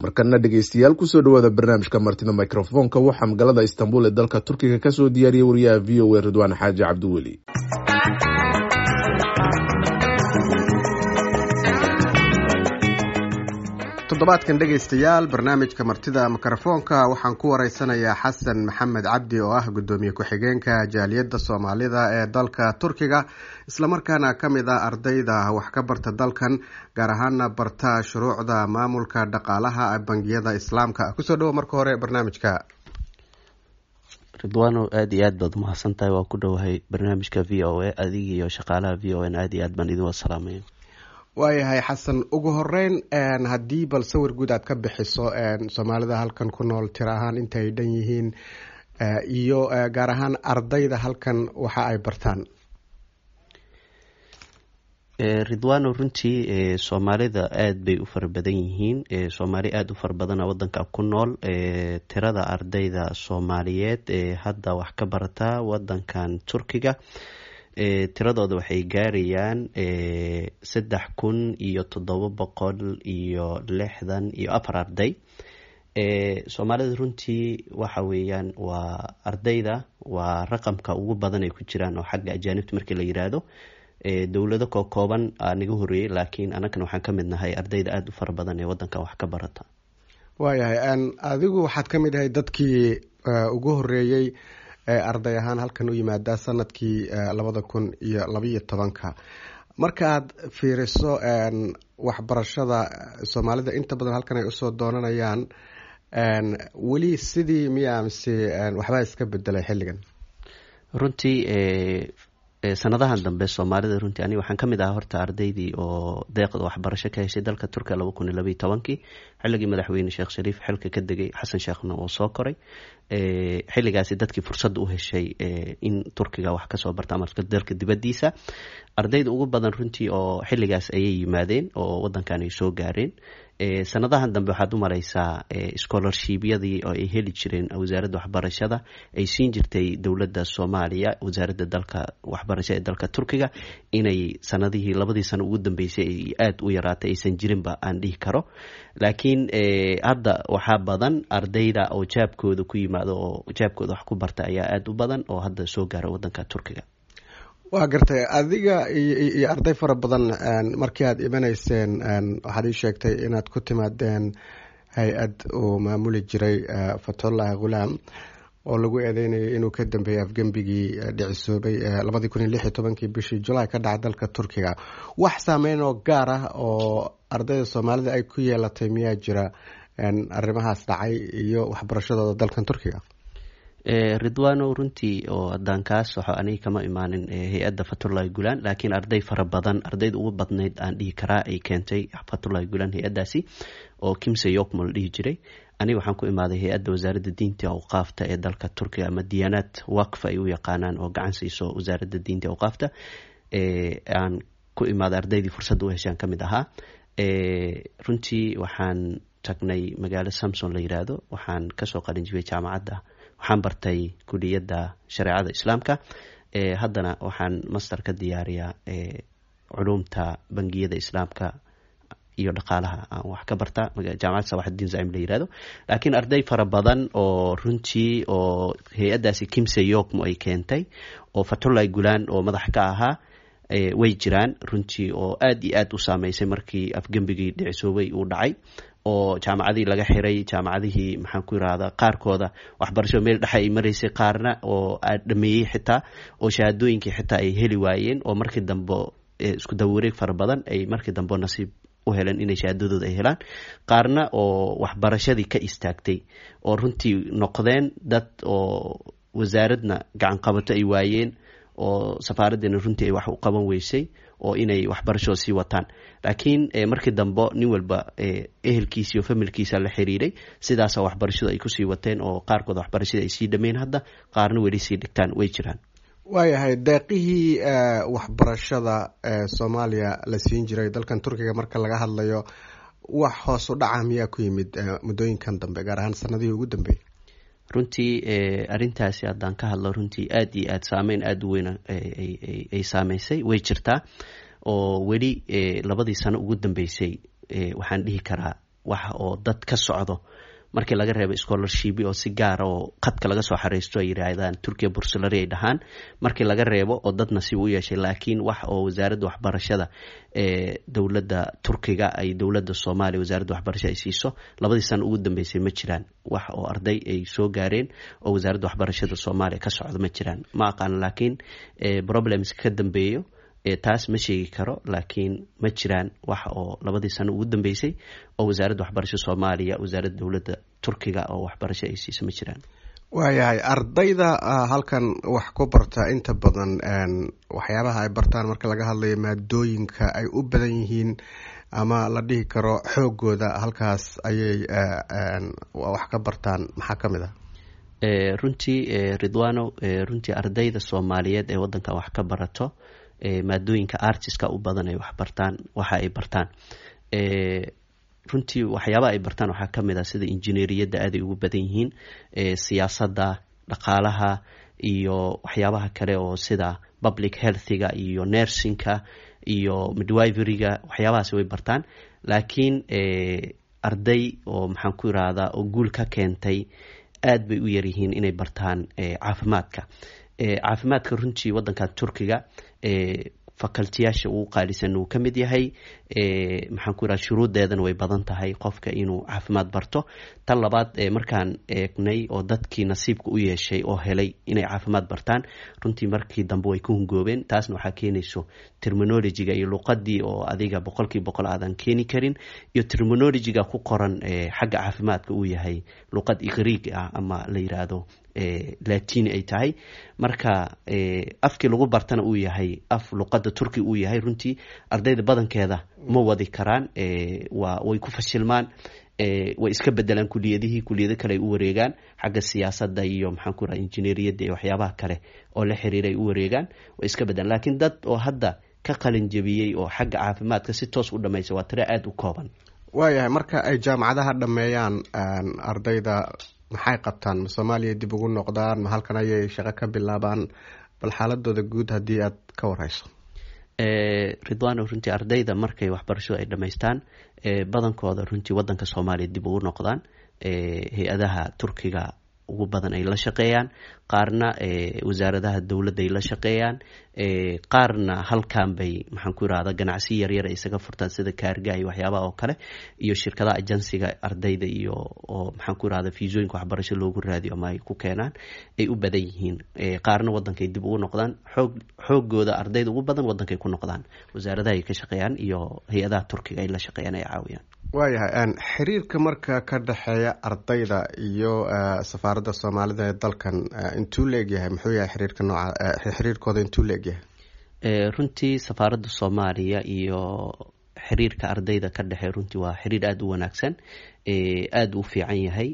Markana dhegeystayaal, kusoo dhawaada barnaamijka Martida Microfoonka. Waxaa magaalada Istanbul ee dalka Turkiga kasoo diyaariyey wariyaha VOA Ridwaan Xaaji Cabdiweli. Toddobaadkan dhegaystayaal, barnaamijka Martida Mikrofoonka waxaan ku wareysanayaa Xasan Maxamed Cabdi oo ah guddoomiye ku-xigeenka jaaliyadda Soomaalida ee dalka Turkiga, islamarkaana ka mid ah ardayda wax ka barta dalkan, gaar ahaana barta shuruucda maamulka dhaqaalaha bangiyada Islaamka. Kusoo dhawo marka hore barnaamijka. Ridwaano, aada iyo aad baad umahadsan tahay. Waa ku dhowahay barnaamijka VOA, adiga iyo shaqaalaha VOA n aada iyo aad baan idin wasalaamaya. Waayahay Xasan, ugu horeyn haddii bal sawir guud aad ka bixiso Soomaalida halkan ku nool, tiro ahaan inta ay dhan yihiin iyo gaar ahaan ardayda halkan waxa ay bartaan. Ridwano, runtii Soomaalida aada bay u fara badan yihiin. Soomaali aada u fara badana wadanka ku nool. Tirada ardayda Soomaaliyeed ee hadda wax ka barata wadankan Turkiga, tiradooda waxay gaarayaan 3764 arday. Soomaalida runtii waxa weeyaan waa ardayda waa raqamka ugu badan ay ku jiraan oo xagga ajaanibta markii la yiraahdo. Dowlado kookooban aa naga horeeyey, laakiin anagana waxaan ka mid nahay ardayda aada u fara badan ee wadanka wax ka barata. Waayahay, adigu waxaad ka mid ahay dadkii ugu horeeyey ee arday ahaan halkan u yimaada sanadkii 2012-ka. Marka aad fiiriso waxbarashada Soomaalida inta badan halkan ay usoo doonanayaan, weli sidii miya mise waxbaa iska bedelay xilligan? Runtii sanadahan dambe Soomaalida, runtii aniga waxaan kamid ahaa horta ardaydii oo deeqda waxbarasho ka heshay dalka Turkiya 2012-kii, xilligii madaxweyne Sheekh Shariif xilka ka degay, Xasan Sheekhna oo soo koray. Xilligaasi dadkii fursadda u heshay in Turkiga wax kasoo barta ama dalka dibadiisa, ardayda ugu badan runtii oo xilligaas ayay yimaadeen oo wadankan ay soo gaareen. Sanadahan dambe waxaad u mareysaa scholarshipyadii oo ay heli jireen wasaaradda waxbarashada ay siin jirtay dowladda Soomaaliya, wasaaradda dalka waxbarasho ee dalka Turkiga, inay sanadihii labadii sano ugu dambeysay ay aada u yaraatay, aysan jirinba aan dhihi karo. Laakiin hadda waxaa badan ardayda oo jaabkooda ku yimaado oo jaabkooda wax ku barta ayaa aada u badan oo hadda soo gaara wadanka Turkiga. Waa gartay. Adiga iyo arday fara badan markii aad imanayseen, waxaad ii sheegtay inaad ku timaadeen hay-ad uu maamuli jiray Fatxullahi Ghulaam oo lagu eedeynayay inuu ka dambeeyey afgembigii dhicisoobay 2016-kii bishii Julaay ka dhacay dalka Turkiga. Wax saameyn oo gaar ah oo ardayda Soomaalida ay ku yeelatay miyaa jira arrimahaas dhacay iyo waxbarashadooda dalkan Turkiga? Ridwano, runtii oo haddaan kaa soxo, aniga kama imaanin hay-adda Fatullahi Gulaan, laakiin arday fara badan, ardayda ugu badnayd aan dhihi karaa ay keentay Fatullahi Gulaan hay-addaasi oo Kimse Yokmo la dhihi jiray. Aniga waxaan ku imaaday hay-adda wasaaradda diinta awqaafta ee dalka Turkiga, ama Diyaanaad Waqf ay u yaqaanaan, oo gacan siiso wasaaradda diinta awqaafta aan ku imaaday. Ardaydii fursadda u heshaan ka mid ahaa. Runtii waxaan tagnay magaalo Samson la yiraahdo. Waxaan kasoo qalinjibiyey jaamacadda, waxaan bartay kuliyadda shareecada Islaamka. Haddana waxaan master ka diyaariyaa culumta bangiyada Islaamka iyo dhaqaalaha aan wax ka barta jaamacadda Sawaxudiin Zacim la yirahdo. Laakiin arday fara badan oo runtii oo hay-addaasi Kimse Yokmo ay keentay oo Fatullahi Gulaan oo madax ka ahaa way jiraan runtii, oo aada iyo aada u saameysay markii afgembigii dhicisoobay uu dhacay oo jaamacadihii laga xiray. Jaamacadihii, maxaan ku yirahdaa, qaarkooda waxbarasho meel dhexe ay maraysay, qaarna oo dhameeyey xitaa oo shahaadooyinkii xitaa ay heli waayeen, oo markii dambe isku dawareeg fara badan ay markii dambe nasiib u heleen inay shahaadadooda ay helaan, qaarna oo waxbarashadii ka istaagtay oo runtii noqdeen dad oo wasaaradna gacan qabato ay waayeen oo safaaraddiina runtii ay wax u qaban weysay oo inay waxbarashoo sii wataan. Laakiin markii dambe nin walba ehelkiisa iyo familkiisa la xiriiray, sidaasa waxbarashadu ay kusii wateen oo qaarkood waxbarashadii ay sii dhameyn hadda, qaarna weli sii dhigtaan way jiraan. Waayahay, deeqihii waxbarashada ee Soomaaliya la siin jiray dalkan Turkiga marka laga hadlayo, wax hoos u dhaca miyaa ku yimid muddooyinkan dambe, gaar ahaan sanadihii ugu dambeeyey? Runtii arrintaasi haddaan ka hadlo, runtii aada iyo aada saameyn aada u weyn ay saameysay way jirtaa, oo weli labadii sano ugu dambeysay waxaan dhihi karaa Wax oo dad ka socdo markii laga reebo scholarship oo si gaara oo khadka laga soo xariisto ay yiraahdaan Turkiya bursalari ay dhahaan, markii laga reebo oo dad nasiib u yeeshay, laakiin wax oo wasaaradda waxbarashada ee dowladda Turkiga ay dowladda Soomaaliya wasaaradda waxbarashada ay siiso 2dii sano ugu dambeysay ma jiraan. Wax oo arday ay soo gaareen oo wasaaradda waxbarashada Soomaaliya ka socdo ma jiraan. Ma aqaan, laakiin problems ka dambeeyo taas ma sheegi karo, laakiin ma jiraan wax oo 2dii sano ugu dambeysay oo wasaaradda waxbarashada Soomaaliya wasaaradda dowladda Turkiga oo waxbarasho ay siiso ma jiraan. Waayahay, ardayda halkan wax ku barta inta badan waxyaabaha ay bartaan marka laga hadlayo maadooyinka ay u badan yihiin ama la dhihi karo xoogooda halkaas ayay wax ka bartaan, maxaa ka mid ah? Runtii Ridwano, runtii ardayda Soomaaliyeed ee wadankan wax ka barato maadooyinka artiska u badan ay wax bartaan. Waxa ay bartaan runtii, waxyaabaha ay bartaan waxaa kamid ah sida injineeriyadda aaday ugu badan yihiin, siyaasadda, dhaqaalaha iyo waxyaabaha kale oo sida public healthiga iyo nursingka iyo midwiferyga, waxyaabahaas way bartaan. Laakiin arday oo maxaan ku irahdaa oo guul ka keentay aad bay u yaryihiin inay bartaan caafimaadka. Caafimaadka runtii wadankan Turkiga facultiyaasha ugu qaalisan uu ka mid yahay. Maxaan ku iraha, shuruuddeedana way badan tahay qofka inuu caafimaad barto. Tan labaad, markaan eegnay oo dadkii nasiibka u yeeshay oo helay inay caafimaad bartaan, runtii markii dambe way ku hungoobeen. Taasna waxaa keenayso terminologyga iyo luqadii oo adiga 100% aadan keeni karin, iyo terminologyga ku qoran xagga caafimaadka uu yahay luqad Greek ah ama la yiraahdo Latini ay tahay. Marka afkii lagu bartana uu yahay af luqadda Turki uu yahay, runtii ardayda badankeeda ma wadi karaan, waa way ku fashilmaan, way iska bedelaan kuliyadihii, kuliyado kale ay u wareegaan, xagga siyaasadda iyo maxaan ku raha injineeriyadda iyo waxyaabaha kale oo la xiriira ay u wareegaan, way iska bedelaan. Laakiin dad oo hadda ka qalin jabiyey oo xagga caafimaadka si toos u dhamaysa waa tiro aada u kooban. Waayahay, marka ay jaamacadaha dhameeyaan ardayda maxay qabtaan? Ma Soomaaliya dib ugu noqdaan, ma halkan ayay shaqo ka bilaabaan? Bal xaaladooda guud haddii aad ka warhayso. Ridwano, runtii ardayda markay waxbarashadu ay dhamaystaan badankooda runtii wadanka Soomaaliya dib ugu noqdaan, hay-adaha Turkiga ugu badan ay la shaqeeyaan, qaarna wasaaradaha dowladda ay la shaqeeyaan, qaarna halkan bay maxaan ku irahda ganacsi yaryar ay isaga furtaan sida kaarga iyo waxyaabaha oo kale iyo shirkadaha ajansiga ardayda iyo oo maxaan ku irahda fiisooyinka waxbarasho loogu raadiyo ama ay ku keenaan ay u badan yihiin. Qaarna wadankay dib ugu noqdaan. Xoogooda ardayda ugu badan wadankay ku noqdaan, wasaaradaha ay ka shaqeeyaan iyo hay-adaha Turkiga ay la shaqeeyaan ay caawiyaan. Waayahay, xiriirka marka ka dhexeeya ardayda iyo safaaradda Soomaalida ee dalkan intuu la egyahay? Muxuu yahay xiriirka nooca, xiriirkooda intuu la egyahay? Runtii safaaradda Soomaaliya iyo xiriirka ardayda ka dhexeeya runtii waa xiriir aada u wanaagsan, aada u fiican yahay.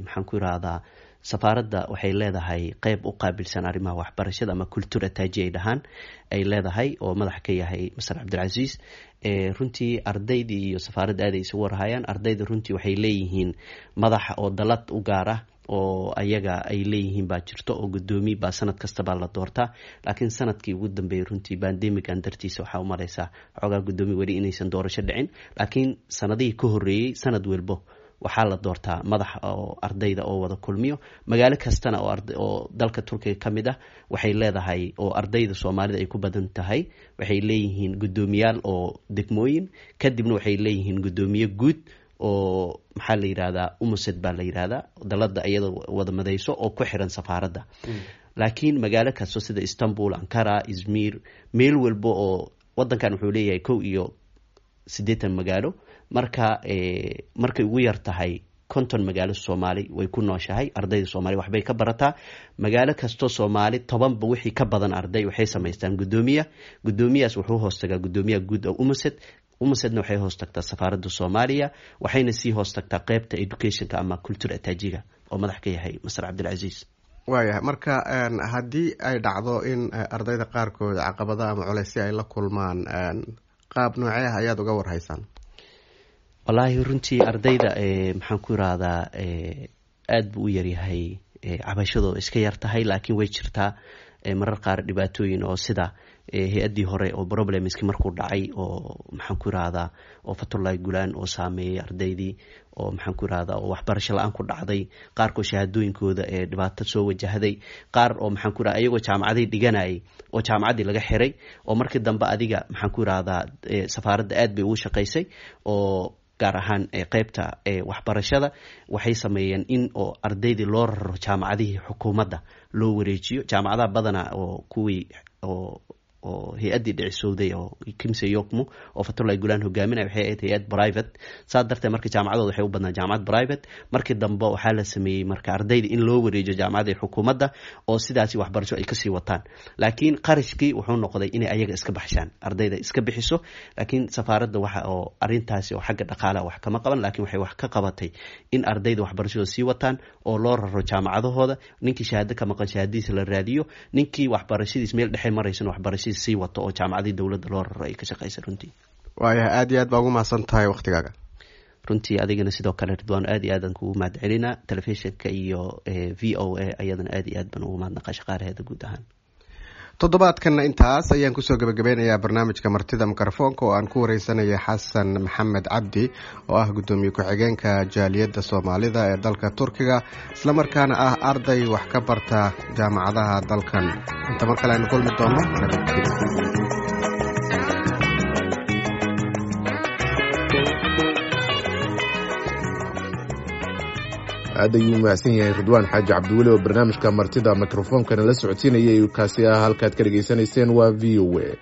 Maxaan ku irahdaa, safaaradda waxay leedahay qeyb u qaabilsan arrimaha waxbarashada ama culture attaché ay dhahaan ay leedahay oo madax ka yahay Master Cabdilcasiis. Runtii ardaydii iyo safaaradda aaday isugu warhayaan. Ardayda runtii waxay leeyihiin madax oo dalad u gaar ah oo ayaga ay leeyihiin baa jirto oo guddoomiye baa sanad kasta baa la doortaa. Laakiin sanadkii ugu dambeeyey runtii pandemigan dartiisa waxaa umaleysaa xoogaa guddoomiye weli inaysan doorasho dhicin, laakiin sanadihii ka horreeyey sanad walbo waxaa la doortaa madax oo ardayda oo wada kulmiyo. Magaalo kastana oo dalka Turkiga ka mid ah waxay leedahay oo ardayda Soomaalida ay ku badan tahay waxay leeyihiin guddoomiyaal oo degmooyin, kadibna waxay leeyihiin guddoomiye guud oo maxaa la yidhahdaa, UMUSED baa la yidhahdaa, dalada iyada wada madayso oo ku xiran safaaradda. Laakiin magaalo kasto sida Istanbul, Ankara, Izmir, meel walba oo wadankan wuxuu leeyahay 81 magaalo. Marka markay ugu yar tahay 50 magaalo Soomaali way ku nooshahay, ardayda Soomaali waxbay ka barataa. Magaalo kastoo Soomaali 10ba wixii ka badan arday waxay samaystaan guddoomiya. Guddoomiyaas wuxuu hoostagaa guddoomiyaha guud oo UMUSED. UMUSEDna waxay hoos tagtaa safaaradda Soomaaliya, waxayna sii hoos tagtaa qeybta educationka ama culture attachéga oo madax ka yahay Master Cabdilcasiis. Waayahay, marka haddii ay dhacdo in ardayda qaarkood caqabada ama culeysya ay la kulmaan, qaab noocee ah ayaad uga warhaysaan? Wallaahi runtii ardayda maxaan ku irahdaa, aada buu u yaryahay cabashadooda, iska yar tahay, laakiin way jirtaa marar qaar dhibaatooyin oo sida Hay-addii hore oo problemski markuu dhacay oo maxaan ku irahdaa oo Fatullahi Gulaan oo saameeyey ardaydii oo maxaan ku irahdaa oo waxbarasho la-aan ku dhacday, qaarkood shahaadooyinkooda ee dhibaato soo wajahday, qaar oo maxaan ku irahda iyagoo jaamacaday dhiganayay oo jaamacaddii laga xiray, oo markii dambe adiga maxaan ku irahdaa safaaradda aad bay ugu shaqaysay, oo gaar ahaan qeybta waxbarashada waxay sameeyeen in oo ardaydii loo raro jaamacadihii xukuumadda loo wareejiyo. Jaamacadaha badana oo kuwii oo hay-addii dhicisowday oo Kimse Yokmo oo Fatullahi Gulaan hogaaminaya waxay ahayd hay-ad private. Saa darteed marka jaamacadooda waxay u badnaa jaamacad private. Markii dambe waxaa la sameeyey marka ardayda in loo wareejiyo jaamacadii xukuumadda oo sidaasi waxbarasho ay kasii wataan, laakiin qarashkii wuxuu noqday inay ayaga iska baxshaan, ardayda iska bixiso. Laakiin safaaradda waxa oo arintaasi oo xagga dhaqaalaha wax kama qaban, laakiin waxay wax ka qabatay in ardayda waxbarashadooda sii wataan oo loo raro jaamacadahooda, ninkii shahaado ka maqan shahaadadiisa la raadiyo, ninkii waxbarashadiis meel dhexe maraysana waxbarashadiis sii wato oo jaamacadii dowladda loo raro ay ka shaqeysa runtii. Waayahay, aada iyo aad baa ugu mahadsan tahay waktigaaga. Runtii adigana sidoo kale Ridwaan, aad iyo aadaan kugu mahad celinaa. Telefishinka iyo V O A ayadana aad iyo aad baan ugu mahadnaqa shaqaalaheeda guud ahaan. Toddobaadkanna intaas ayaan kusoo gabagabeynayaa barnaamijka martida mikrofoonka oo aan ku wareysanaya Xasan Maxamed Cabdi oo ah guddoomiye ku-xigeenka jaaliyadda Soomaalida ee dalka Turkiga, islamarkaana ah arday wax ka barta jaamacadaha dalkan. Inta mar kale aynu kulmi doono, nabadgelyo. Aad ayuu mahadsan yahay Ridwaan Xaaji Cabdiweli oo barnaamijka martida mikrofonkana la socodsiinayay. Kaasi ah halkaad ka dhegaysanayseen waa V O A.